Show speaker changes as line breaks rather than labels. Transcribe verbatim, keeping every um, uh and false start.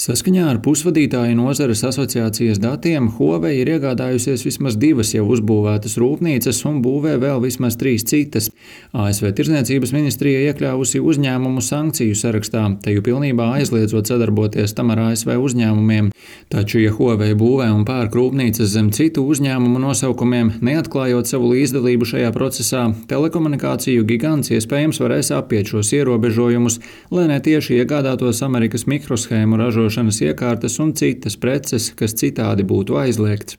Saskaņā ar pusvadītāju nozares asociācijas datiem Huawei ir iegādājusies vismaz divas jau uzbūvētas rūpnīcas un būvē vēl vismaz trīs citas. A S V Tirdzniecības ministrija iekļāvusi uzņēmumu sankciju sarakstā, teju pilnībā aizliedzot sadarboties tam ar A S V uzņēmumiem. Taču, ja Huawei būvē un pērk rūpnīcas zem citu uzņēmumu nosaukumiem, neatklājot savu līdzdalību šajā procesā, telekomunikāciju gigants iespējams varēs apiet šos ierobežojumus, lai netieši iegādātos Amerikas mikroshēmu ražošanas iekārtas un citas preces, kas citādi būtu aizliegts.